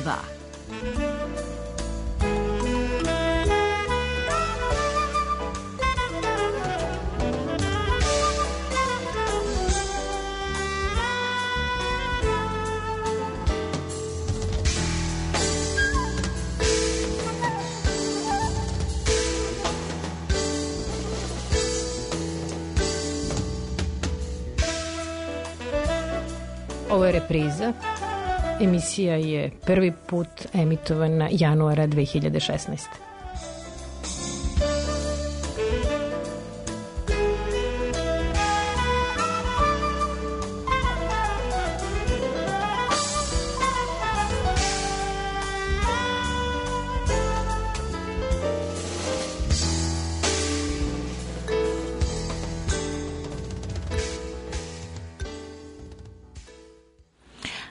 2. Ovo je repriza. Emisija je prvi put emitovana januara 2016.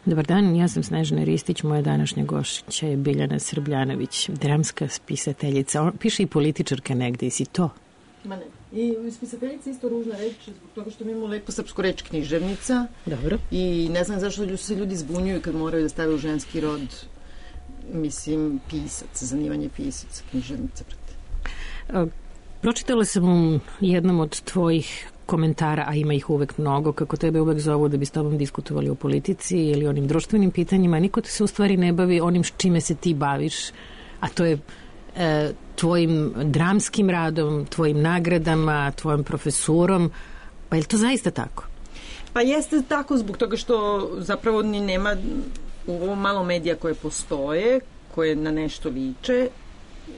Dobar dan, ja sam Snežana Ristić, moja današnja gošća je Biljana Srbljanović, dramska spisateljica. Piše i političarka negde, i si to? Ma ne. I spisateljica isto ružna reč, zbog toga što mi imamo lepo srpsku reč književnica. Dobro. I ne znam zašto se ljudi zbunjuju kad moraju da stave u ženski rod, mislim, pisac, zanimanje pisac, književnica. Pročitala sam u jednom od tvojih komentara, a ima ih uvek mnogo, kako tebe uvek zovu da bi s tobom diskutovali o politici ili onim društvenim pitanjima. Niko te se u stvari ne bavi onim čime se ti baviš, a to je tvojim dramskim radom, tvojim nagradama, tvojom profesurom. Pa je li to zaista tako? Pa jeste tako zbog toga što zapravo ni nema u ovom malo medija koje postoje, koje na nešto liče,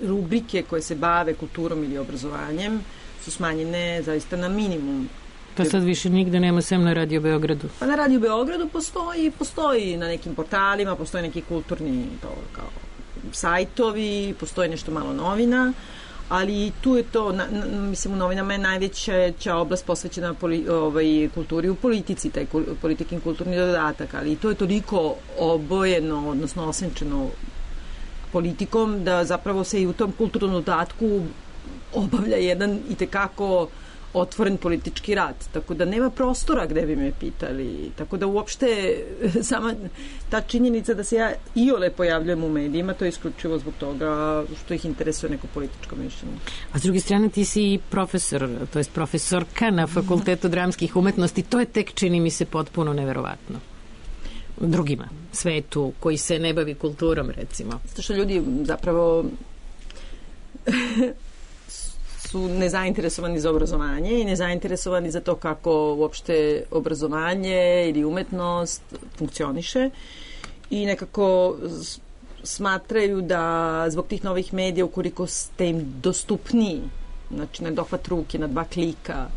rubrike koje se bave kulturom ili obrazovanjem su smanjene zaista na minimum. To sad više nigde nema, sem na Radio Beogradu. Pa na Radio Beogradu postoji na nekim portalima, postoji neki kulturni kao sajtovi, postoji nešto malo novina, ali tu je to, mislim, u novinama je najveća oblast posvećena kulturi u politici, taj politikin kulturni dodatak, ali to je toliko obojeno, odnosno osenčeno politikom, da zapravo se i u tom kulturnom dodatku obavlja jedan itekako otvoren politički rad. Tako da nema prostora gde bi me pitali. Tako da uopšte sama ta činjenica da se ja iole pojavljujem u medijima, to je isključivo zbog toga što ih interesuje neko političko mišljenje. A s druge strane ti si profesor, to jest profesorka na Fakultetu dramskih umetnosti. To je tek, čini mi se, potpuno neverovatno. Drugima, svetu, koji se ne bavi kulturom, recimo. Zato što ljudi zapravo su nezainteresovani za obrazovanje i nezainteresovani za to kako uopšte obrazovanje ili umetnost funkcioniše i nekako smatraju da zbog tih novih medija, ukoliko ste im dostupniji, znači na dohvat ruke, na 2 klika,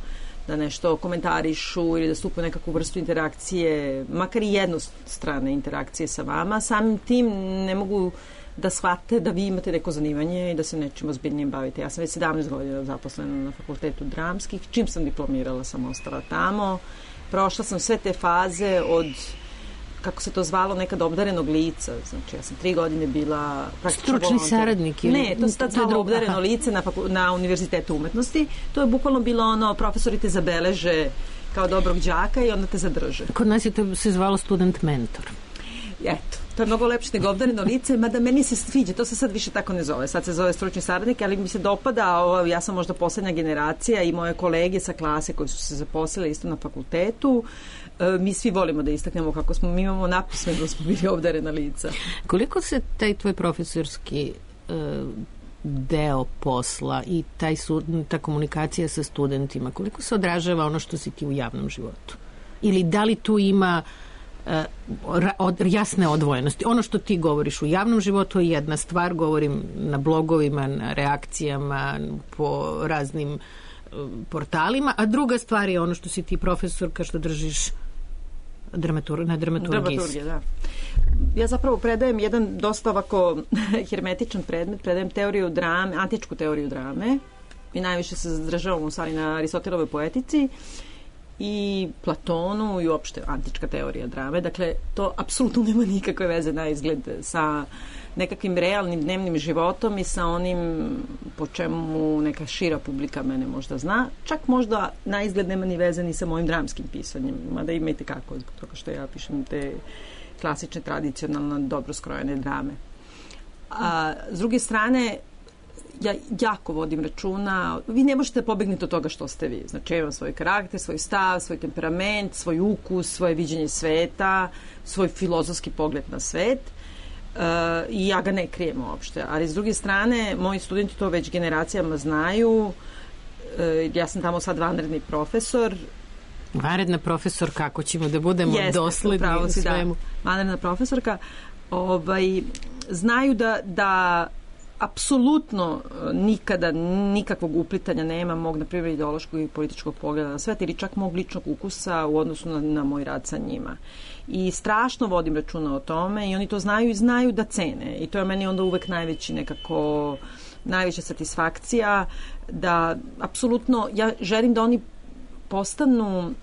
da nešto komentarišu ili da stupu nekakvu vrstu interakcije, makar i jednostrane interakcije sa vama, samim tim ne mogu da shvate da vi imate neko zanimanje i da se nečim ozbiljnijim bavite. Ja sam već 17 godina zaposlena na Fakultetu dramskih. Čim sam diplomirala sam ostala tamo. Prošla sam sve te faze od, kako se to zvalo, nekad obdarenog lica. Znači, ja sam 3 godine bila praktično stručni saradnik. Ne, to se tad zvalo obdareno lice na Univerzitetu umetnosti. To je bukvalno bilo ono, profesori te zabeleže kao dobrog đaka i onda te zadrže. Kod nas je to se zvalo student mentor. Eto, to je mnogo lepše nego obdareno lice, mada meni se sviđa, to se sad više tako ne zove, sad se zove stručni saradnik, ali mi se dopada, ja sam možda poslednja generacija i moje kolege sa klase koji su se zaposlili isto na fakultetu, mi svi volimo da istaknemo kako smo, mi imamo napismeno da smo bili obdarena lica. Koliko se taj tvoj profesorski deo posla i ta komunikacija sa studentima, koliko se odražava ono što si ti u javnom životu? Ili da li tu ima jasne odvojenosti? Ono što ti govoriš u javnom životu je jedna stvar, govorim na blogovima, na reakcijama, po raznim portalima, a druga stvar je ono što si ti profesorka, što držiš na dramaturgiji. Da. Ja zapravo predajem jedan dosta ovako hermetičan predmet, predajem teoriju drame, antičku teoriju drame i najviše se zadržavam u stvari na Aristotelovoj poetici i Platonu i uopšte antička teorija drame. Dakle, to apsolutno nema nikakve veze na izgled sa nekakvim realnim dnevnim životom i sa onim po čemu neka šira publika mene možda zna. Čak možda na izgled nema ni veze ni sa mojim dramskim pisanjem, mada ima i tekako, zbog toga što ja pišem te klasične, tradicionalne, dobro skrojene drame. A s druge strane, ja jako vodim računa, vi ne možete pobegniti od toga što ste vi. Znači, ja imam svoj karakter, svoj stav, svoj temperament, svoj ukus, svoje viđenje sveta, svoj filozofski pogled na svet i ja ga ne krijem uopšte. Ali s druge strane, moji studenti to već generacijama znaju. Ja sam tamo sad vanredni profesor. Vanredna profesor, kako ćemo da budemo dosledni u svemu? Da, vanredna profesorka. Znaju da apsolutno nikada nikakvog uplitanja nema mog, na primjer, ideološkog i političkog pogleda na svet ili čak mog ličnog ukusa u odnosu na moj rad sa njima. I strašno vodim računa o tome i oni to znaju i znaju da cene. I to je meni onda uvek najveća satisfakcija da apsolutno ja želim da oni postanu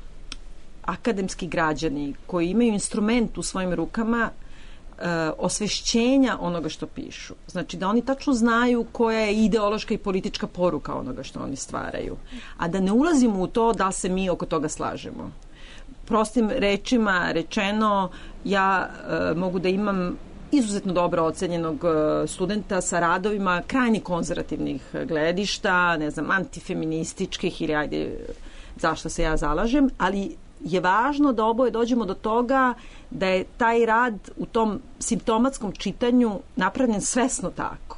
akademski građani koji imaju instrument u svojim rukama osvešćenja onoga što pišu. Znači da oni tačno znaju koja je ideološka i politička poruka onoga što oni stvaraju. A da ne ulazimo u to da se mi oko toga slažemo. Prostim rečima rečeno, ja mogu da imam izuzetno dobro ocenjenog studenta sa radovima krajnje konzervativnih gledišta, ne znam, antifeminističkih ili ajde zašto se ja zalažem, ali je važno da oboje dođemo do toga da je taj rad u tom simptomatskom čitanju napravljen svesno tako.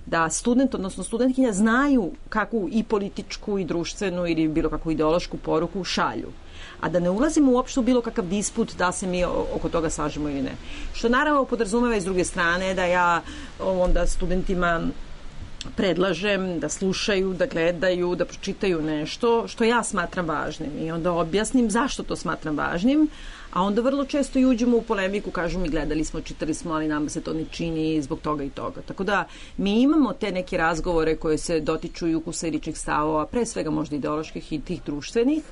Da student, odnosno studentkinja znaju kakvu i političku i društvenu ili bilo kakvu ideološku poruku šalju. A da ne ulazimo uopšte u bilo kakav disput da se mi oko toga slažemo ili ne. Što naravno podrazumeva i s druge strane da ja onda studentima predlažem da slušaju, da gledaju, da pročitaju nešto što ja smatram važnim i onda objasnim zašto to smatram važnim, a onda vrlo često i uđemo u polemiku, kažu mi gledali smo, čitali smo, ali nama se to ne čini zbog toga i toga. Tako da mi imamo te neke razgovore koje se dotiču i ukusa i ličnih stavova, pre svega možda ideoloških i tih društvenih,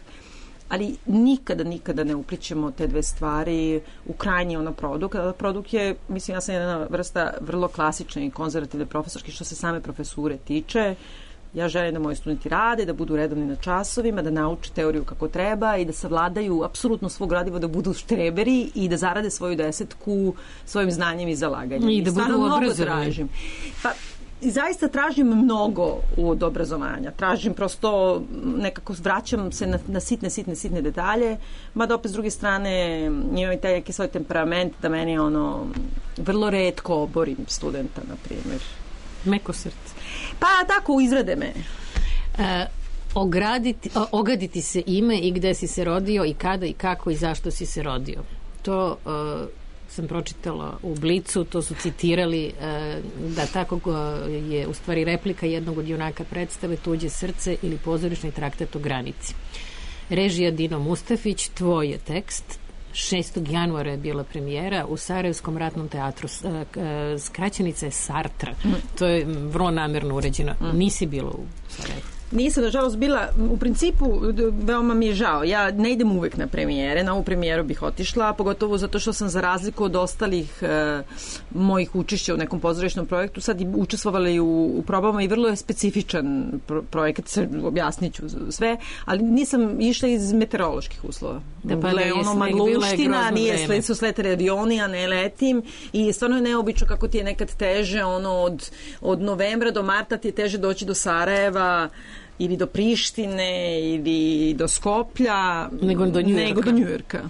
ali nikada ne uplićemo te dve stvari u krajnji produkt. Produkt je, mislim, ja sam jedna vrsta vrlo klasične i konzervativne profesorke što se same profesure tiče. Ja želim da moji studenti rade, da budu redovni na časovima, da nauče teoriju kako treba i da savladaju apsolutno svog gradiva, da budu štreberi i da zarade svoju 10 svojim znanjem i zalaganjem. I da budu obrazovani. Pa, i zaista tražim mnogo od obrazovanja. Tražim prosto, nekako vraćam se na sitne detalje, mada opet s druge strane imam i taj neki svoj temperament da meni vrlo retko oborim studenta, na primjer. Meko srce. Pa tako, izrade me. Ogaditi se ime i gde si se rodio i kada i kako i zašto si se rodio. To sam pročitala u Blicu, to su citirali da tako je u stvari replika jednog od junaka predstave Tuđe srce ili pozorišni traktat o granici. Režija Dino Mustafić, tvoj je tekst. 6. januara je bila premijera u Sarajevskom ratnom teatru. Skraćenica je Sartra. To je vrlo namerno uređeno. Nisi bila u Sarajevu? Nisam, nažalost, bila, u principu, veoma mi je žao. Ja ne idem uvek na premijere, na ovu premijeru bih otišla, pogotovo zato što sam za razliku od ostalih mojih učešća u nekom pozorišnom projektu sad i učestvovala i u probama i vrlo je specifičan projekat, objasnit ću sve, ali nisam išla iz meteoroloških uslova. Da, pa magluština, su sletali avioni, a ne letim i stvarno je neobično kako ti je nekad teže, od novembra do marta ti je teže doći do Sarajeva ili do Prištine ili do Skoplja nego do Njujorka.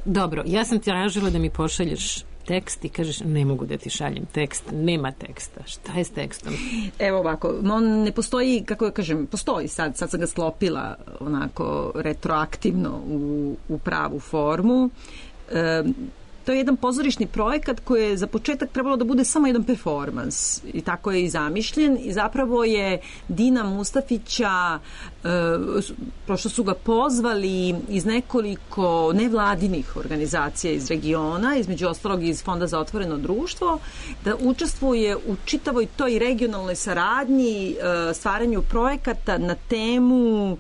Dobro, ja sam ti tražila da mi pošalješ tekst i kažeš ne mogu da ti šaljem tekst, nema teksta. Šta je s tekstom? Evo ovako, on ne postoji, kako ja kažem, postoji sad sam ga sklopila onako retroaktivno u pravu formu. To je jedan pozorišni projekat koji je za početak trebalo da bude samo jedan performans i tako je i zamišljen i zapravo je Dina Mustafića, prošto su ga pozvali iz nekoliko nevladinih organizacija iz regiona, između ostalog iz Fonda za otvoreno društvo, da učestvuje u čitavoj toj regionalnoj saradnji, stvaranju projekata na temu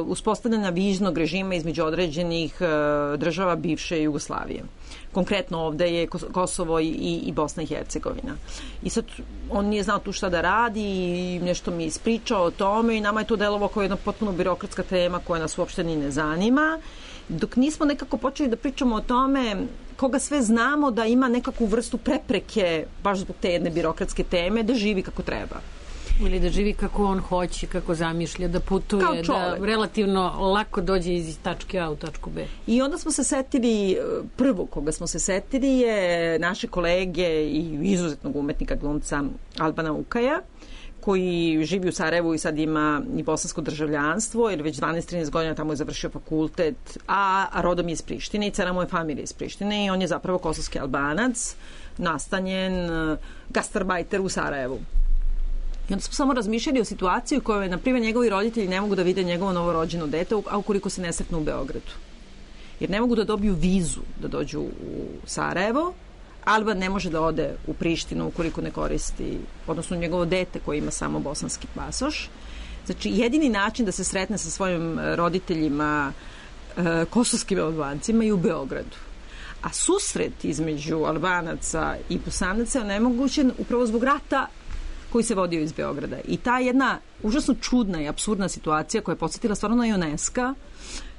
uspostavljanja viznog režima između određenih država bivše Jugoslavije. Konkretno ovde je Kosovo i Bosna i Hercegovina. I sad on nije znao tu šta da radi i nešto mi je ispričao o tome i nama je to delovalo kao jedna potpuno birokratska tema koja nas uopšte ni ne zanima. Dok nismo nekako počeli da pričamo o tome koga sve znamo da ima nekakvu vrstu prepreke baš zbog te jedne birokratske teme da živi kako treba. Ili da živi kako on hoće, kako zamišlja, da putuje, da relativno lako dođe iz tačke A u tačku B. I onda smo se setili, prvo koga smo se setili je naše kolege i izuzetnog umetnika glumca Albana Ukaja, koji živi u Sarajevu i sad ima i bosansko državljanstvo, jer već 12-13 godina tamo je završio fakultet, a rodom je iz Prištine i cela moja familija iz Prištine i on je zapravo kosovski Albanac, nastanjen gastarbajter u Sarajevu. I onda smo samo razmišljali o situaciji u kojoj, na primjer, njegovi roditelji ne mogu da vide njegovo novorođeno dete, a ukoliko se ne sretnu u Beogradu. Jer ne mogu da dobiju vizu da dođu u Sarajevo, Alban ne može da ode u Prištinu ukoliko ne koristi, odnosno njegovo dete koje ima samo bosanski pasoš. Znači, jedini način da se sretne sa svojim roditeljima kosovskim Albancima je u Beogradu. A susret između Albanaca i Bosanaca je onemogućen upravo zbog rata koji se vodio iz Beograda. I ta jedna užasno čudna i apsurdna situacija koja je podsjetila stvarno na UNESCO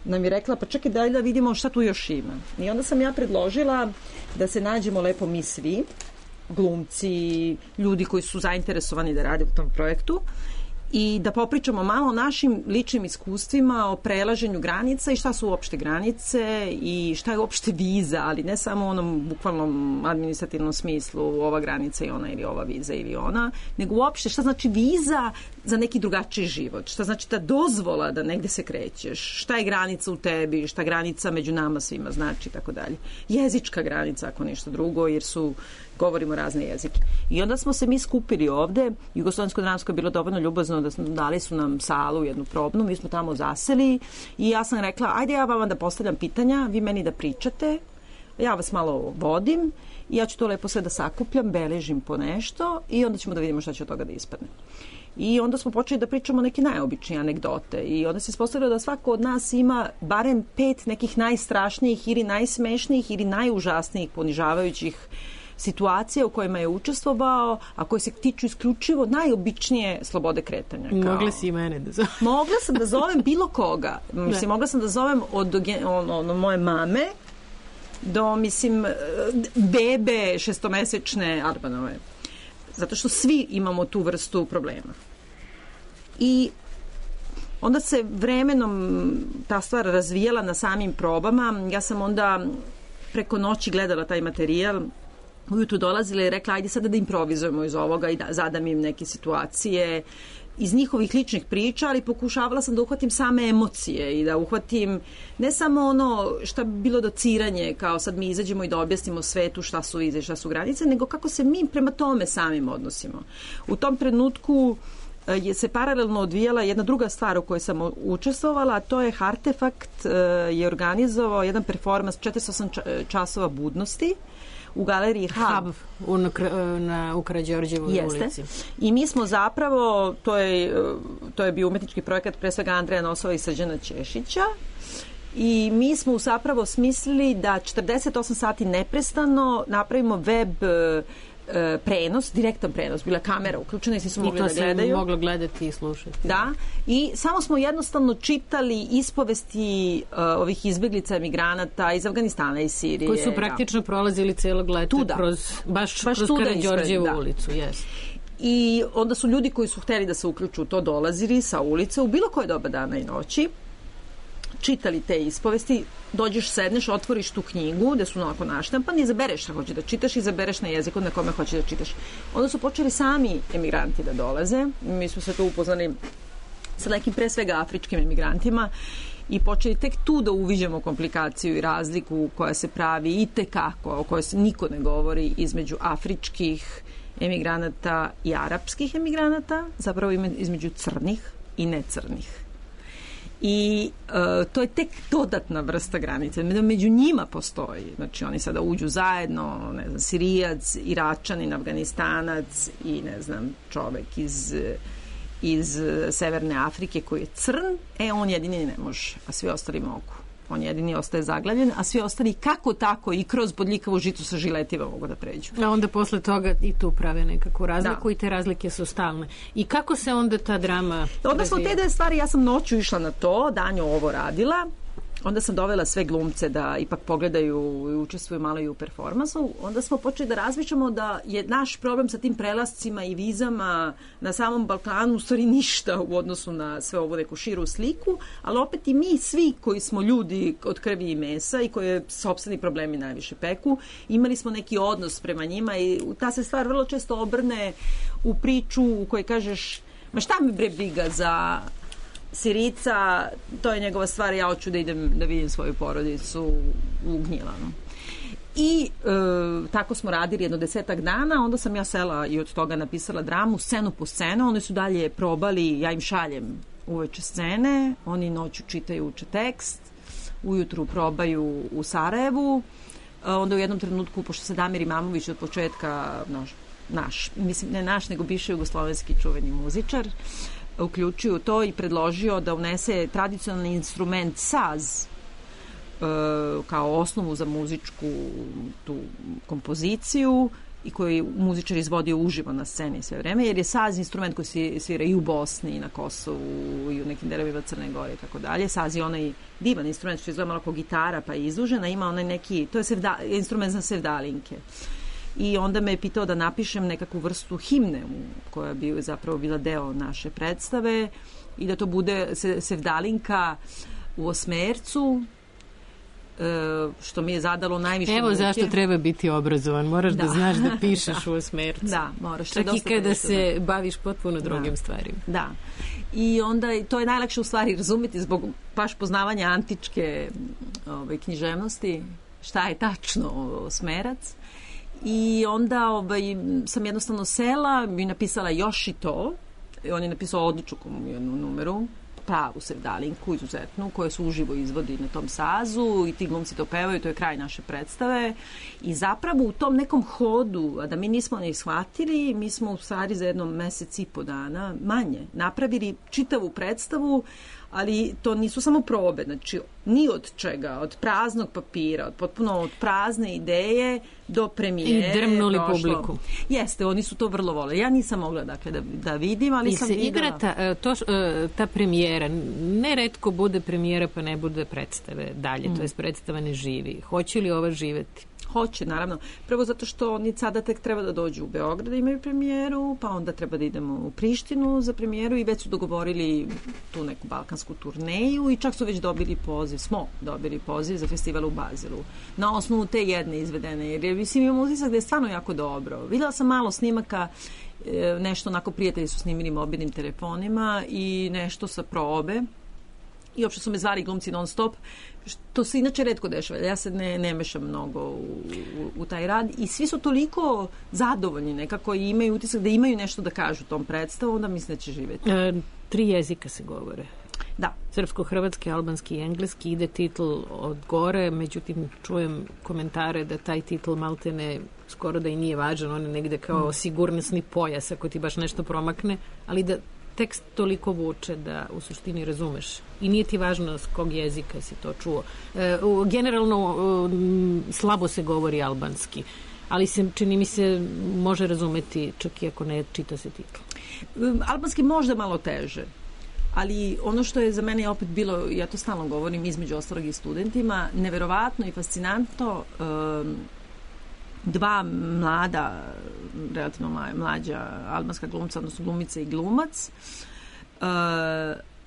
nam je rekla, pa čekaj daj da vidimo šta tu još ima. I onda sam ja predložila da se nađemo lepo mi svi, glumci, ljudi koji su zainteresovani da rade u tom projektu i da popričamo malo o našim ličnim iskustvima, o prelaženju granica i šta su uopšte granice i šta je uopšte viza, ali ne samo u onom bukvalnom administrativnom smislu ova granica i ona ili ova viza ili ona, nego uopšte šta znači viza za neki drugačiji život, šta znači ta dozvola da negde se krećeš, šta je granica u tebi, šta granica među nama svima znači i tako dalje. Jezička granica ako ništa drugo, jer govorimo razne jezike. I onda smo se mi skupili ovde, Jugoslovensko dramsko je bilo dovoljno ljubazno da dali su nam salu, jednu probnu, mi smo tamo zaseli i ja sam rekla, ajde ja vama da postavljam pitanja, vi meni da pričate, ja vas malo vodim i ja ću to lepo sve da sakupljam, beležim po nešto i onda ćemo da vidimo šta će od toga da ispadne. I onda smo počeli da pričamo neke najobičnije anegdote i onda se ispostavilo da svako od nas ima barem 5 nekih najstrašnijih ili najsmešnijih ili najužasnijih ponižavajućih situacija u kojima je učestvovao, a koje se tiču isključivo najobičnije slobode kretanja. Mogla si i mene da zovem. Mogla sam da zovem bilo koga. Mislim, mogla sam da zovem od moje mame do, mislim, bebe 6-mesečne Arbanove. Zato što svi imamo tu vrstu problema. I onda se vremenom ta stvar razvijala na samim probama. Ja sam onda preko noći gledala taj materijal, ujutru dolazila i rekla, ajde sada da improvizujemo iz ovoga i da zadam im neke situacije iz njihovih ličnih priča, ali pokušavala sam da uhvatim same emocije i da uhvatim ne samo ono šta bi bilo dociranje, kao sad mi izađemo i da objasnimo svetu šta su vize i šta su granice, nego kako se mi prema tome samim odnosimo. U tom trenutku se paralelno odvijala jedna druga stvar u kojoj sam učestvovala, a to je Hartefakt je organizovao jedan performans 48 časova budnosti u galeriji Hub u Karađorđevoj ulici. I mi smo zapravo, to je bio umetnički projekat pre svega Andreja Nosova i Srđana Ćešića, i mi smo zapravo smislili da 48 sati neprestano napravimo web prenos, direktan prenos, bila kamera uključena i svi su mogli da gledaju. I to se moglo gledati i slušati. Da, i samo smo jednostavno čitali ispovesti ovih izbeglica emigranata iz Afganistana i Sirije. Koji su praktično prolazili celog leta baš kroz Karađorđevu ulicu. Yes. I onda su ljudi koji su hteli da se uključu u to dolazili sa ulice u bilo koje doba dana i noći, čitali te ispovesti, dođeš, sedneš, otvoriš tu knjigu gde su onako naštampani, izabereš šta hoćeš da čitaš, izabereš na jeziku na kome hoćeš da čitaš. Onda su počeli sami emigranti da dolaze. Mi smo se tu upoznali sa nekim pre svega afričkim emigrantima i počeli tek tu da uviđamo komplikaciju i razliku koja se pravi i tekako, o kojoj se niko ne govori, između afričkih emigranata i arapskih emigranata, zapravo između crnih i necrnih. I to je tek dodatna vrsta granice. Među njima postoji. Znači, oni sada uđu zajedno, ne znam, Sirijac, Iračanin, Afganistanac i, ne znam, čovek iz Severne Afrike koji je crn, on jedini ne može, a svi ostali mogu. On jedini ostaje zaglavljen, a svi ostali kako tako i kroz bodljikavo žito sa žiletima mogu da pređu. A onda posle toga i tu prave nekakvu razliku i te razlike su stalne. I kako se onda ta drama onda smo te dve stvari, ja sam noću išla na to, danju ovo radila, onda sam dovela sve glumce da ipak pogledaju i učestvuju malo i u performansu. Onda smo počeli da razmišljamo da je naš problem sa tim prelascima i vizama na samom Balkanu u stvari ništa u odnosu na sve ovo neku širu sliku, ali opet i mi svi koji smo ljudi od krvi i mesa i koje sopstveni problemi najviše peku, imali smo neki odnos prema njima i ta se stvar vrlo često obrne u priču u kojoj kažeš ma šta mi bre briga za Sirica, to je njegova stvar, ja hoću da idem da vidim svoju porodicu u Gnjilanu. I tako smo radili jedno 10 dana, onda sam ja sela i od toga napisala dramu, scenu po scenu, oni su dalje probali, ja im šaljem uveče scene, oni noću čitaju, uče tekst, ujutru probaju u Sarajevu, onda u jednom trenutku, pošto se Damir Imamović od početka, mislim ne naš, nego bivši jugoslovenski čuveni muzičar, uključuju to i predložio da unese tradicionalni instrument saz kao osnovu za muzičku tu kompoziciju i koji muzičar izvodio uživo na sceni sve vreme, jer je saz instrument koji se svira i u Bosni i na Kosovu i u nekim delovima Crne Gore i tako dalje. Saz je onaj divan instrument što izgleda malo kao gitara pa je izlužena, ima onaj neki, to je instrument za sevdalinke. I onda me je pitao da napišem nekakvu vrstu himne koja bi zapravo bila deo naše predstave i da to bude sevdalinka u osmercu, što mi je zadalo najviše muke. Evo zašto treba biti obrazovan, moraš da znaš da pišeš u osmercu. Da, moraš. Čak i kada se baviš potpuno drugim stvarima. Da. I onda to je najlakše u stvari razumeti zbog baš poznavanja antičke književnosti, šta je tačno osmerac. I onda sam jednostavno sela i napisala još i to. I on je napisao odličnu jednu numeru, pravu sevdalinku, izuzetnu, koje su uživo izvodi na tom sazu i ti glumci to pevaju, to je kraj naše predstave. I zapravo u tom nekom hodu, a da mi nismo ne shvatili, mi smo u stvari za jedno mesec i po dana manje napravili čitavu predstavu, ali to nisu samo probe, znači ni od čega, od praznog papira, od prazne ideje do premijere. I drmnuli publiku. Jeste, oni su to vrlo voleli. Ja nisam mogla dakle da vidim, ali sam videla. I se igra ta premijera, neretko bude premijera pa ne bude predstave dalje, to jest predstava ne živi. Hoće li ova živeti? Hoće, naravno. Prvo zato što oni sada tek treba da dođu u Beograd da imaju premijeru, pa onda treba da idemo u Prištinu za premijeru i već su dogovorili tu neku balkansku turneju i čak su već dobili poziv za festival u Bazilu. Na osnovu te jedne izvedene, jer mislim imam utisak da je stvarno jako dobro. Videla sam malo snimaka, nešto onako prijatelji su snimili mobilnim telefonima i nešto sa probe. I uopšte su me zvali glumci non stop, što se inače retko dešava. Ja se ne mešam mnogo u taj rad i svi su toliko zadovoljni nekako i imaju utisak da imaju nešto da kažu tom predstavu, onda mislim da će živjeti. 3 jezika se govore. Da. Srpsko-hrvatski, albanski i engleski, ide titl od gore, međutim čujem komentare da taj titl maltene skoro da i nije važan, on je negde kao sigurnosni pojas ako ti baš nešto promakne, ali da tekst toliko vuče da u suštini razumeš i nije ti važno s kog jezika si to čuo. Generalno slabo se govori albanski, ali se, čini mi se, može razumeti čak i ako ne čita se titl. Albanski možda malo teže, ali ono što je za mene opet bilo, ja to stalno govorim između ostalog i studentima, neverovatno i fascinantno, 2 mlada, relativno mlađa albanska glumca, odnosno glumica i glumac,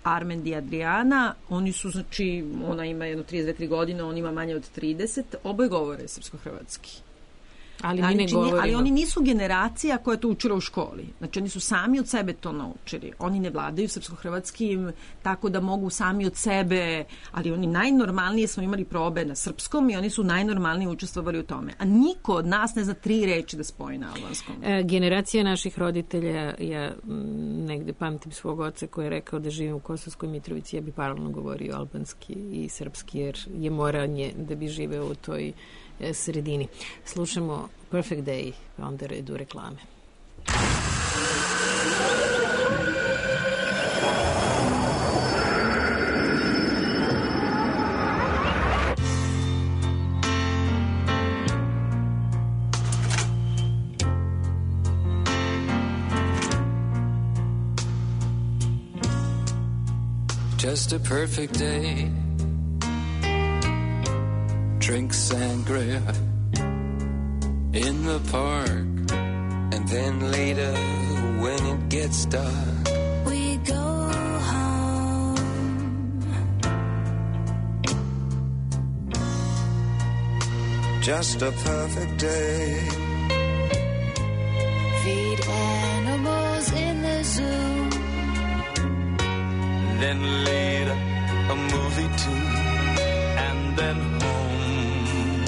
Armend i Adriana, oni su, znači, ona ima jedno 32 godine, on ima manje od 30, oboje govore srpsko-hrvatski. Ali mi ne govorimo. Ali oni nisu generacija koja je to učila u školi. Znači, oni su sami od sebe to naučili. Oni ne vladaju srpsko-hrvatskim, tako da mogu sami od sebe, ali oni najnormalnije smo imali probe na srpskom i oni su najnormalnije učestvovali u tome. A niko od nas ne zna 3 reči da spoji na albanskom. Generacija naših roditelja, ja negde pamtim svog oca koji je rekao da živim u Kosovskoj Mitrovici, ja bi paralelno govorio albanski i srpski, jer je moranje da bi živeo u toj sredini. Slušamo Perfect Day, pa onda redu reklame. just a perfect day. Drink sangria in the park, and then later when it gets dark, we go home. Just a perfect day. Feed animals in the zoo, then later a movie too, and then home.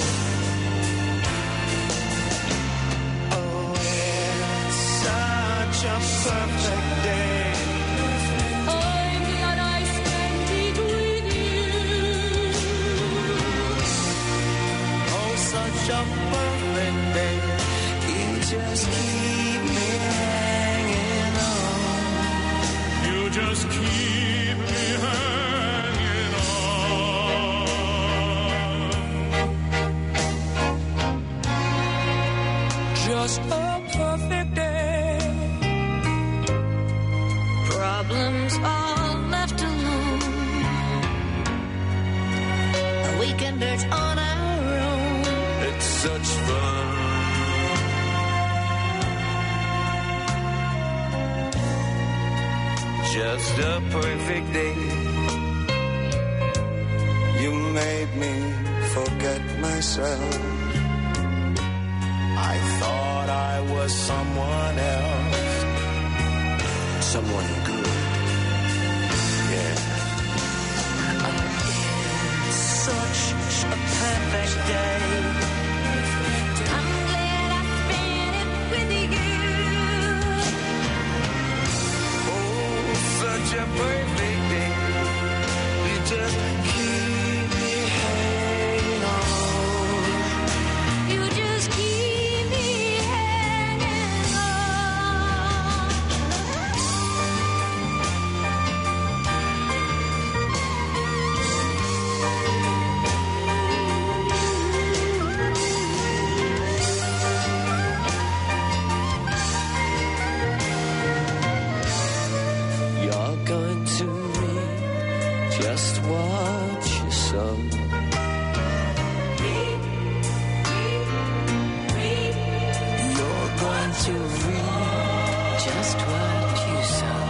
Oh, it's such a perfect day. I'm glad I spent it with you. Oh, such a perfect day. You just keep me hanging on. You just keep me hanging on. Just a perfect day. Problems all left alone. A weekenders on our own. It's such fun. Just a perfect day. You made me forget myself. I thought I was someone else. Someone good. Yeah. It's such a perfect day. I'm glad I spent it with you. Oh, such a perfect day. You just keep me hanging on. You just keep me hanging on. You're going to read just what you sow. You're going to read just what you sow.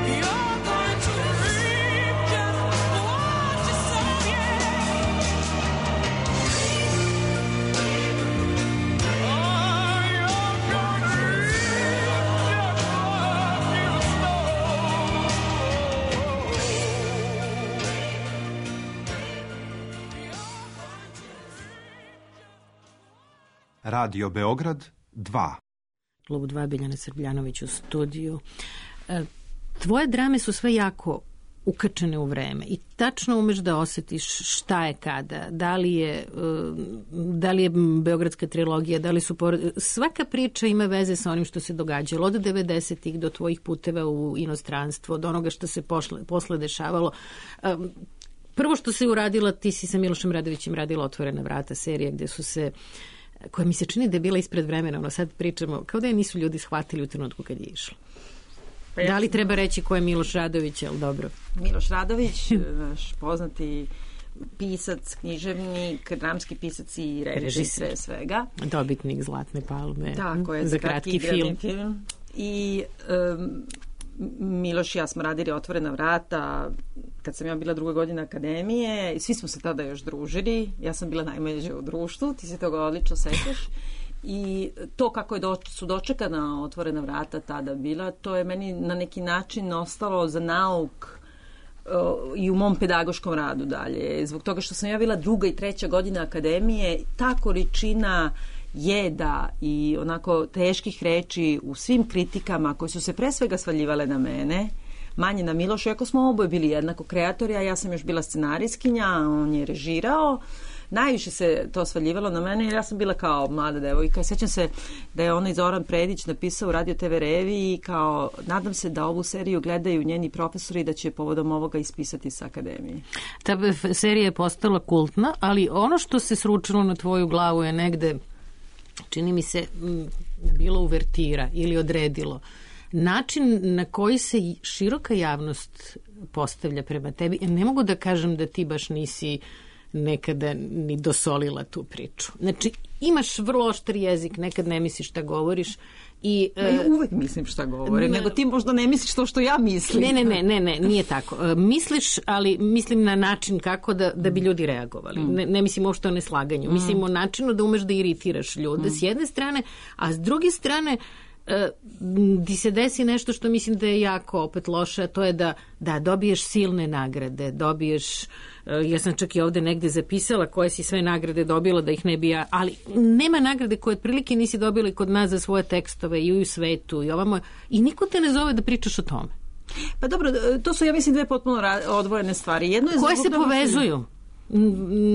You're going to read just what you sow, Radio Beograd 2. Klubu 2, Biljana Srbljanović u studiju. Tvoje drame su sve jako ukačene u vreme i tačno umeš da osetiš šta je kada, da li je Beogradska trilogija, da li su svaka priča ima veze sa onim što se događalo od 90-ih do tvojih puteva u inostranstvo, od onoga što se posle dešavalo. Prvo što se uradila, ti si sa Milošem Radovićem radila Otvorena vrata, serija gde su se, koja mi se čini da je bila ispred vremena, ono sad pričamo, kao da je nisu ljudi shvatili u trenutku kad je išlo. Pa da li treba reći ko je Miloš Radović, ali dobro? Miloš Radović, naš poznati pisac, književnik, dramski pisac i režisir svega. Dobitnik Zlatne palme. Tako je, za kratki film. I Miloš i ja smo radili Otvorena vrata kad sam ja bila 2. godina akademije i svi smo se tada još družili. Ja sam bila najmlađa u društvu, ti se toga odlično sećaš. I to kako su dočekana Otvorena vrata tada bila, to je meni na neki način ostalo za nauk i u mom pedagoškom radu dalje. Zbog toga što sam ja bila 2. i 3. godina akademije, ta količina jeda i onako teških reči u svim kritikama koje su se pre svega svaljivale na mene, manje na Milošu, iako smo oboje bili jednako kreatori, a ja sam još bila scenarijskinja, on je režirao. Najviše se to svaljivalo na mene jer ja sam bila kao mlada devojka. Sjećam se da je onaj Zoran Predić napisao u Radio TV reviji kao nadam se da ovu seriju gledaju njeni profesori i da će povodom ovoga ispisati sa akademije. Ta serija je postala kultna, ali ono što se sručilo na tvoju glavu je negde čini mi se, bilo uvertira ili odredilo način na koji se široka javnost postavlja prema tebi. Ne mogu da kažem da ti baš nisi nekada ni dosolila tu priču. Znači, imaš vrlo oštar jezik, nekad ne misliš šta govoriš i... Ja uvek mislim šta govorim, nego ti možda ne misliš to što ja mislim. Ne, nije tako. Misliš, ali mislim na način kako da bi ljudi reagovali. Ne mislim uopšte o neslaganju. Mislim o načinu da umeš da iritiraš ljude s jedne strane, a s druge strane ti se desi nešto što mislim da je jako opet loše, a to je da dobiješ silne nagrade, dobiješ, ja sam čak i ovde negde zapisala koje si sve nagrade dobila, da ih ne bi ja, ali nema nagrade koje otprilike nisi dobila i kod nas za svoje tekstove i u svetu i ovamo, i niko te ne zove da pričaš o tome. Pa dobro, to su, ja mislim, dve potpuno odvojene stvari. Jedno je koje se povezuju.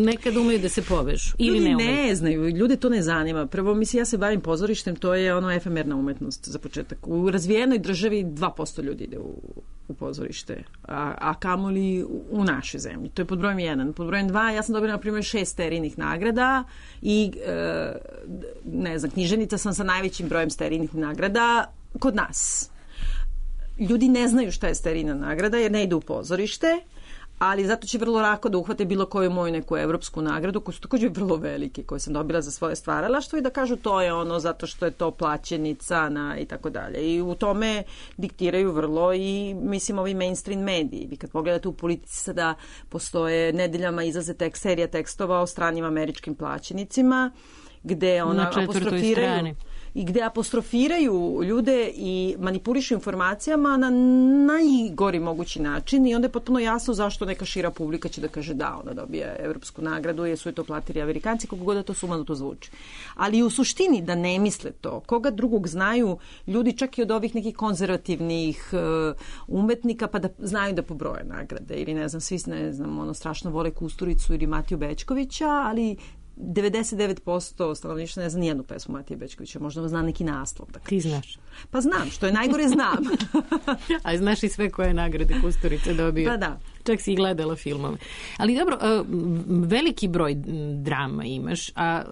Nekad umeju da se povežu ili ljudi ne umeju. Ne znaju, ljude to ne zanima. Prvo, mislim, ja se bavim pozorištem, to je ono efemerna umetnost za početak. U razvijenoj državi 2% ljudi ide u pozorište, a kamoli u našoj zemlji. To je pod brojem 1. Pod brojem 2, ja sam dobila na primjer 6 sterijnih nagrada i ne znam, književnica sam sa najvećim brojem sterijnih nagrada kod nas. Ljudi ne znaju šta je sterijna nagrada jer ne idu u pozorište, ali zato će vrlo lako da uhvate bilo koju moju neku evropsku nagradu, koje su također vrlo velike, koje sam dobila za svoje stvaralaštvo i da kažu to je ono zato što je to plaćenica i tako dalje. I u tome diktiraju vrlo i, mislim, ovi mainstream mediji. Vi kad pogledate u politici sada postoje nedeljama izlaze serija tekstova o stranim američkim plaćenicima, gde ona apostrofiraju i gde apostrofiraju ljude i manipulišu informacijama na najgori mogući način i onda je potpuno jasno zašto neka šira publika će da kaže da, ona dobija evropsku nagradu jer su je to platili Amerikanci, kako god da to sumano to zvuči. Ali u suštini da ne misle to, koga drugog znaju ljudi čak i od ovih nekih konzervativnih umetnika, pa da znaju da pobroje nagrade ili ne znam, svi strašno vole Kusturicu ili Matiju Bećkovića, ali 99% stanovništva ne zna nijednu pesmu Matije Bećkovića, možda zna neki naslov. Da ti znaš? Pa znam, što je najgore znam. A znaš i sve koje nagrade Kusturice dobio. Pa da. Čak si i gledala filmove. Ali dobro, veliki broj drama imaš, a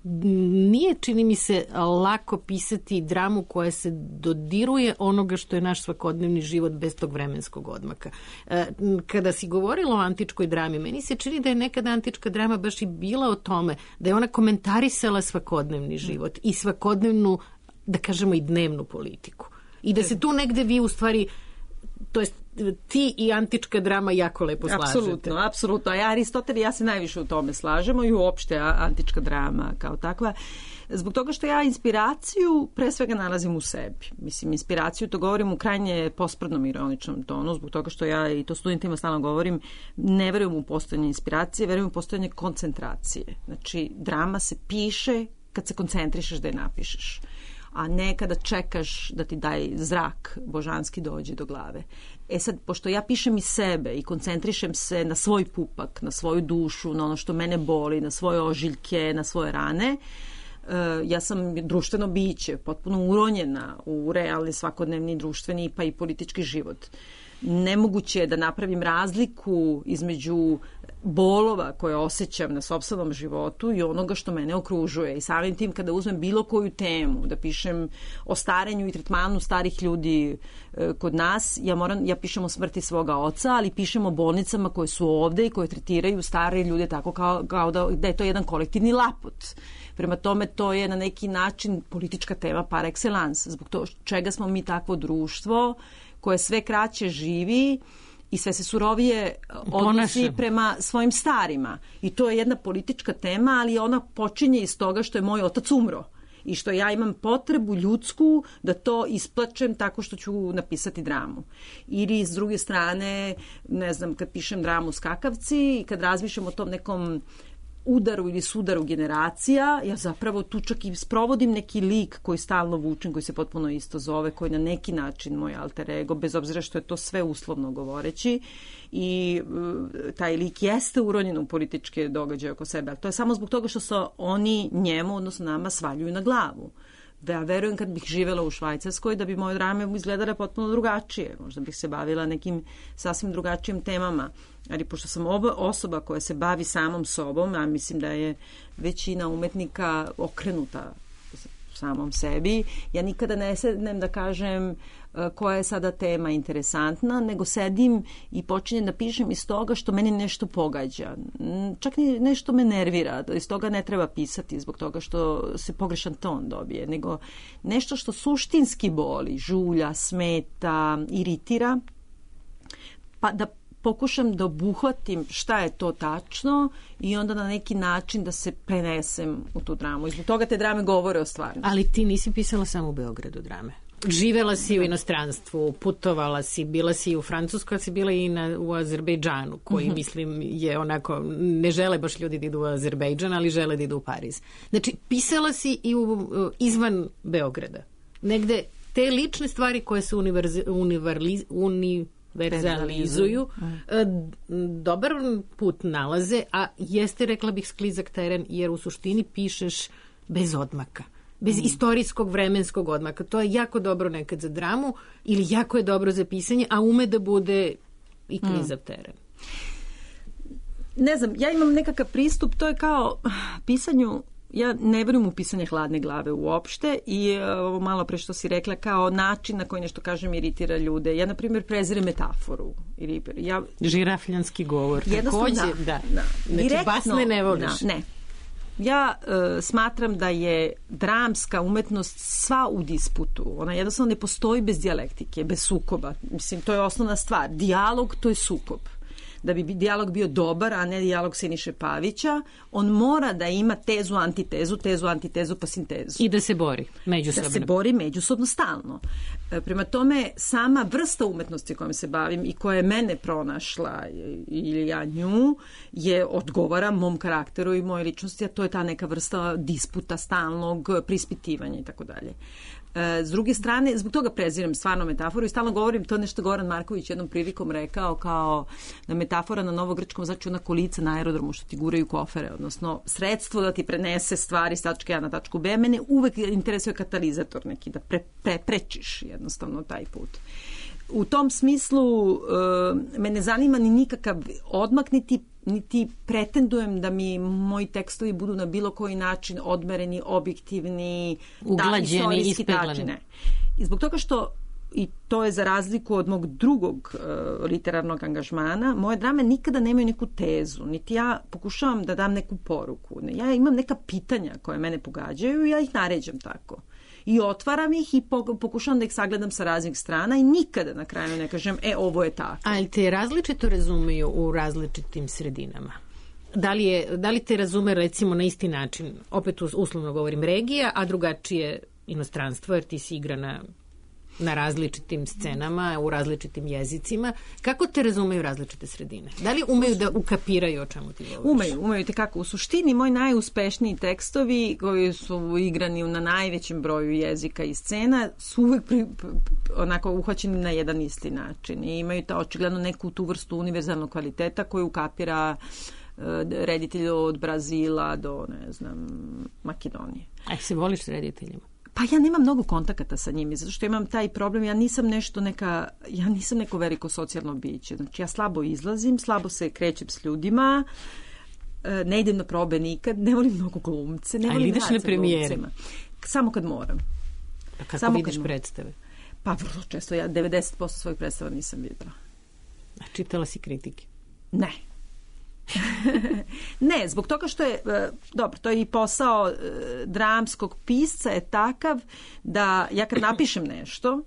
nije, čini mi se, lako pisati dramu koja se dodiruje onoga što je naš svakodnevni život bez tog vremenskog odmaka. Kada si govorila o antičkoj drami, meni se čini da je nekada antička drama baš i bila o tome, da je ona komentarisala svakodnevni život i svakodnevnu, da kažemo, i dnevnu politiku. I da se tu negde vi u stvari, to jest ti i antička drama jako lepo slažete. Apsolutno. A Aristotel i ja se najviše u tome slažemo i uopšte antička drama kao takva. Zbog toga što ja inspiraciju pre svega nalazim u sebi. Mislim, inspiraciju to govorim u krajnje posprdnom ironičnom tonu, zbog toga što ja, i to studentima stalno govorim, ne verujem u postojanje inspiracije, verujem u postojanje koncentracije. Znači, drama se piše kad se koncentrišeš da je napišeš, a ne kada čekaš da ti daj zrak božanski dođe do glave. E sad, pošto ja pišem iz sebe i koncentrišem se na svoj pupak, na svoju dušu, na ono što mene boli, na svoje ožiljke, na svoje rane, ja sam društveno biće, potpuno uronjena u realni svakodnevni društveni pa i politički život. Nemoguće je da napravim razliku između bolova koje osjećam na sopstvenom životu i onoga što mene okružuje. I samim tim kada uzmem bilo koju temu, da pišem o starenju i tretmanu starih ljudi kod nas, ja pišem o smrti svoga oca, ali pišem o bolnicama koje su ovde i koje tretiraju stare ljude tako kao da je to jedan kolektivni lapot. Prema tome, to je na neki način politička tema par excellence. Zbog toga čega smo mi takvo društvo koje sve kraće živi i sve se surovije odnosi prema svojim starima. I to je jedna politička tema, ali ona počinje iz toga što je moj otac umro i što ja imam potrebu ljudsku da to isplačem tako što ću napisati dramu. Ili s druge strane, ne znam, kad pišem dramu Skakavci i kad razmišljam o tom nekom udaru ili sudaru generacija, ja zapravo tu čak i sprovodim neki lik koji stalno vučem, koji se potpuno isto zove, koji na neki način moj alter ego, bez obzira što je to sve uslovno govoreći, i taj lik jeste uronjen u političke događaje oko sebe, ali to je samo zbog toga što se oni njemu, odnosno nama, svaljuju na glavu. Ja verujem kad bih živela u Švajcarskoj da bi moje drame izgledale potpuno drugačije. Možda bih se bavila nekim sasvim drugačijim temama. Ali pošto sam osoba koja se bavi samom sobom, a mislim da je većina umetnika okrenuta samom sebi, ja nikada ne sednem da kažem koja je sada tema interesantna, nego sedim i počinjem da pišem iz toga što meni nešto pogađa. Čak ni nešto me nervira, iz toga ne treba pisati zbog toga što se pogrešan ton dobije, nego nešto što suštinski boli, žulja, smeta, iritira, pa da pokušam da obuhvatim šta je to tačno i onda na neki način da se prenesem u tu dramu. I zbog toga te drame govore o stvarnosti. Ali ti nisi pisala samo u Beogradu drame. Živela si u inostranstvu, putovala si, bila si u Francuskoj, si bila i u Azerbejdžanu, koji mislim je onako, ne žele baš ljudi da idu u Azerbejdžan, ali žele da idu u Pariz. Znači, pisala si i izvan Beograda. Negde te lične stvari koje se univerzalizuju, dobar put nalaze, a jeste, rekla bih, sklizak teren, jer u suštini pišeš bez odmaka. Bez istorijskog vremenskog odmaka. To je jako dobro nekad za dramu ili jako je dobro za pisanje, a ume da bude i klizav teren. Ne znam, ja imam nekakav pristup, to je kao pisanju, ja ne verujem u pisanje hladne glave uopšte i ovo malo pre što si rekla kao način na koji nešto kažem iritira ljude. Ja, na primjer, prezirem metaforu. Žirafljanski govor. Takođe, da. Znači, direktno, basne ne voliš. Ne. Ja smatram da je dramska umetnost sva u disputu. Ona jednostavno ne postoji bez dijalektike, bez sukoba. Mislim, to je osnovna stvar. Dijalog, to je sukob. Da bi dijalog bio dobar, a ne dijalog Siniše Pavića, on mora da ima tezu, antitezu, pa sintezu. I da se bori međusobno. Da se bori međusobno stalno. Prema tome, sama vrsta umetnosti kojom se bavim i koja je mene pronašla ili ja nju, odgovara mom karakteru i moje ličnosti, a to je ta neka vrsta disputa stalnog, prispitivanja i tako dalje. S druge strane, zbog toga prezirem stvarno metaforu i stalno govorim, to nešto Goran Marković jednom prilikom rekao, kao da metafora na novogrčkom znači ona kolica na aerodromu što ti guraju kofere, odnosno sredstvo da ti prenese stvari s tačke A na tačku B. Mene uvek interesuje katalizator neki, da prečiš jednostavno taj put. U tom smislu me ne zanima ni nikakav odmak, niti pretendujem da mi moji tekstovi budu na bilo koji način odmereni, objektivni, uglađeni, ispeglani. I zbog toga što, i to je za razliku od mog drugog literarnog angažmana, moje drame nikada nemaju neku tezu, niti ja pokušavam da dam neku poruku. Ja imam neka pitanja koje mene pogađaju i ja ih naređam tako. I otvaram ih i pokušavam da ih sagledam sa raznih strana i nikada na kraju ne kažem, ovo je tako. Ali te različito razumeju u različitim sredinama? Da li te razume recimo na isti način, opet uslovno govorim regija, a drugačije inostranstvo, jer ti si igrana na različitim scenama, u različitim jezicima. Kako te razumeju različite sredine? Da li umeju da ukapiraju o čemu ti govoriš? Umeju te kako. U suštini, moji najuspešniji tekstovi koji su igrani na najvećem broju jezika i scena su uvek onako uhvaćeni na jedan isti način i imaju očigledno neku tu vrstu univerzalnog kvaliteta koju ukapira reditelj od Brazila do, ne znam, Makedonije. A se voliš s rediteljima? Pa ja nemam mnogo kontakata sa njimi, zato što imam taj problem, ja nisam neko veliko socijalno biće. Znači ja slabo izlazim, slabo se krećem s ljudima, ne idem na probe nikad, ne volim mnogo glumce, ne volim ideš na premijere? Samo kad moram. A kako vidiš predstave? Pa vrlo često, ja 90% svojih predstava nisam videla. A čitala si kritike? Ne. Ne, zbog toga što je, dobro, to je i posao dramskog pisca je takav da ja kad napišem nešto,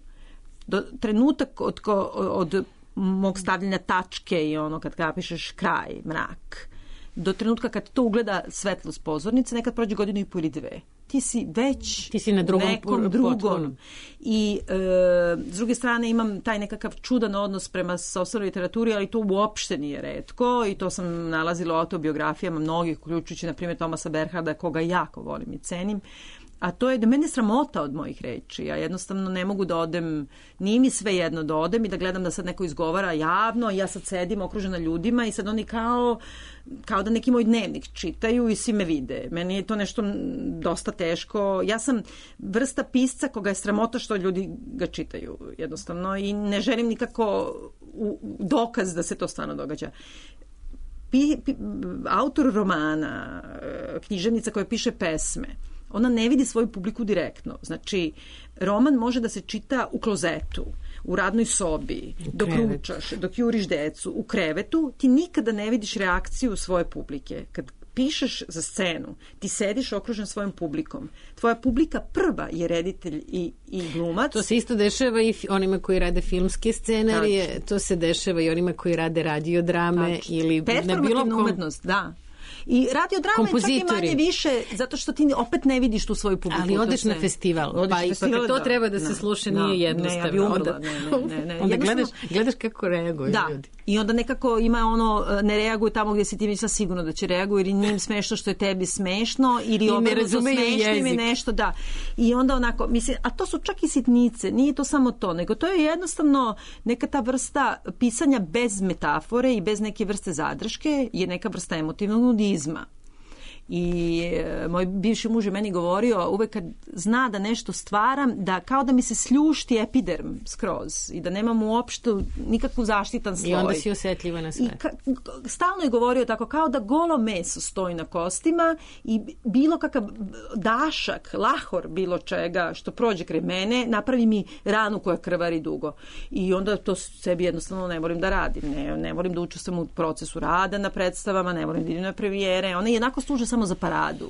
trenutak od mog stavljanja tačke i ono kad napišeš kraj, mrak, do trenutka kad to ugleda svetlost pozornice, nekad prođe godinu i po ili dve. Ti si na nekom drugom. I s druge strane imam taj nekakav čudan odnos prema sopstvenoj literaturi, ali to uopšte nije retko i to sam nalazila u autobiografijama mnogih, uključujući na primjer Thomasa Berharda, koga jako volim i cenim. a to je da mene sramota od mojih reči. Ja jednostavno ne mogu da odem, nije mi sve jedno da odem i da gledam da sad neko izgovara javno, ja sad sedim okružena ljudima i sad oni kao da neki moj dnevnik čitaju i svi me vide. Meni je to nešto dosta teško. Ja sam vrsta pisca koga je sramota što ljudi ga čitaju jednostavno i ne želim nikako dokaz da se to stvarno događa. Autor romana, književnica koja piše pesme, ona ne vidi svoju publiku direktno. Znači, roman može da se čita u klozetu, u radnoj sobi, dok ručaš, dok juriš decu, u krevetu, ti nikada ne vidiš reakciju svoje publike. Kad pišeš za scenu, ti sediš okružen svojom publikom. Tvoja publika prva je reditelj i glumac. To se isto dešava i onima koji rade filmske scenarije, to se dešava i onima koji rade radiodrame ili na bilo kom... umetnost, da. I radiodrama je čak i manje više, zato što ti opet ne vidiš tu svoju publiku. Ali odeš na festival, pa ipak to treba da se sluša, nije jednostavno. Ne, ja bi umrla, ne. Onda gledaš kako reaguju ljudi. I onda nekako ima ne reaguju tamo gdje si ti mislila sigurno da će reaguju, ili njim smešno što je tebi smešno, ili obrnuto smešnim i nešto, da. I onda onako, mislim, a to su čak i sitnice, nije to samo to, nego to je jednostavno neka ta vrsta pisanja bez metafore i bez neke vrste zadrške, je neka vrsta emotivnog nudizma. I moj bivši muž je meni govorio uvek kad zna da nešto stvaram, da kao da mi se sljušti epiderm skroz i da nemam uopšte nikakvu zaštitan sloj. I onda si osjetljiva na sve. I stalno je govorio tako kao da golo meso stoji na kostima i bilo kakav dašak, lahor bilo čega što prođe kraj mene, napravi mi ranu koja krvari dugo. I onda to sebi jednostavno ne volim da radim. Ne volim da učestvujem u procesu rada na predstavama, ne volim da idem na premijere. One jednako služe samo za paradu.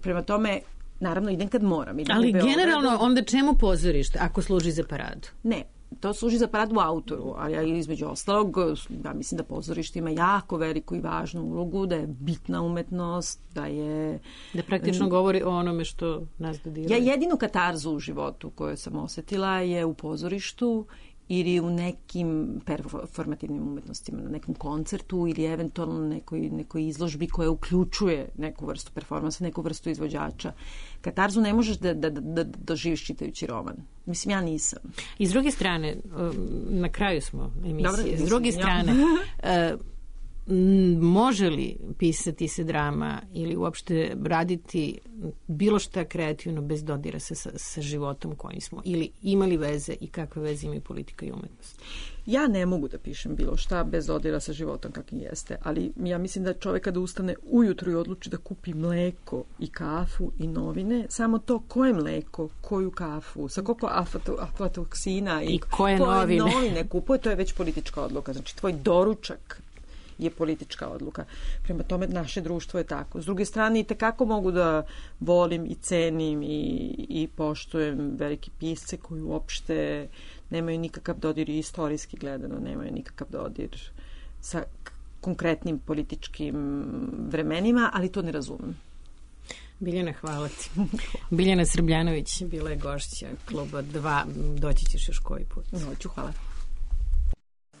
Prema tome, naravno, idem kad moram. Ali generalno, onda čemu pozorište ako služi za paradu? Ne, to služi za paradu autoru, ali između ostalog, ja mislim da pozorište ima jako veliku i važnu ulogu, da je bitna umetnost, da je... Da praktično govori o onome što nas dodiruje. Ja jedinu katarzu u životu koju sam osetila je u pozorištu ili u nekim performativnim umetnostima, na nekom koncertu ili eventualno nekoj izložbi koja uključuje neku vrstu performansa, neku vrstu izvođača. Katarzu ne možeš da doživiš čitajući roman. Mislim, ja nisam. I s druge strane, na kraju smo emisije, s druge strane, može li pisati se drama ili uopšte raditi bilo šta kreativno bez dodira sa životom kojim smo? Ili imali veze i kakve veze imaju politika i umetnost? Ja ne mogu da pišem bilo šta bez dodira sa životom kakvim jeste, ali ja mislim da čovjek kada ustane ujutru i odluči da kupi mleko i kafu i novine, samo to koje mleko, koju kafu, sa koliko aflatoksina i koje novine kupuje, to je već politička odluka. Znači, tvoj doručak je politička odluka. Prema tome, naše društvo je tako. S druge strane, i tekako mogu da volim i cenim i poštujem velike pisce koji uopšte nemaju nikakav dodir, i istorijski gledano nemaju nikakav dodir sa konkretnim političkim vremenima, ali to ne razumem. Biljana, hvala ti. Biljana Srbljanović bila je gošća Kluba 2. Doći ćeš još koji put. Hoću, hvala.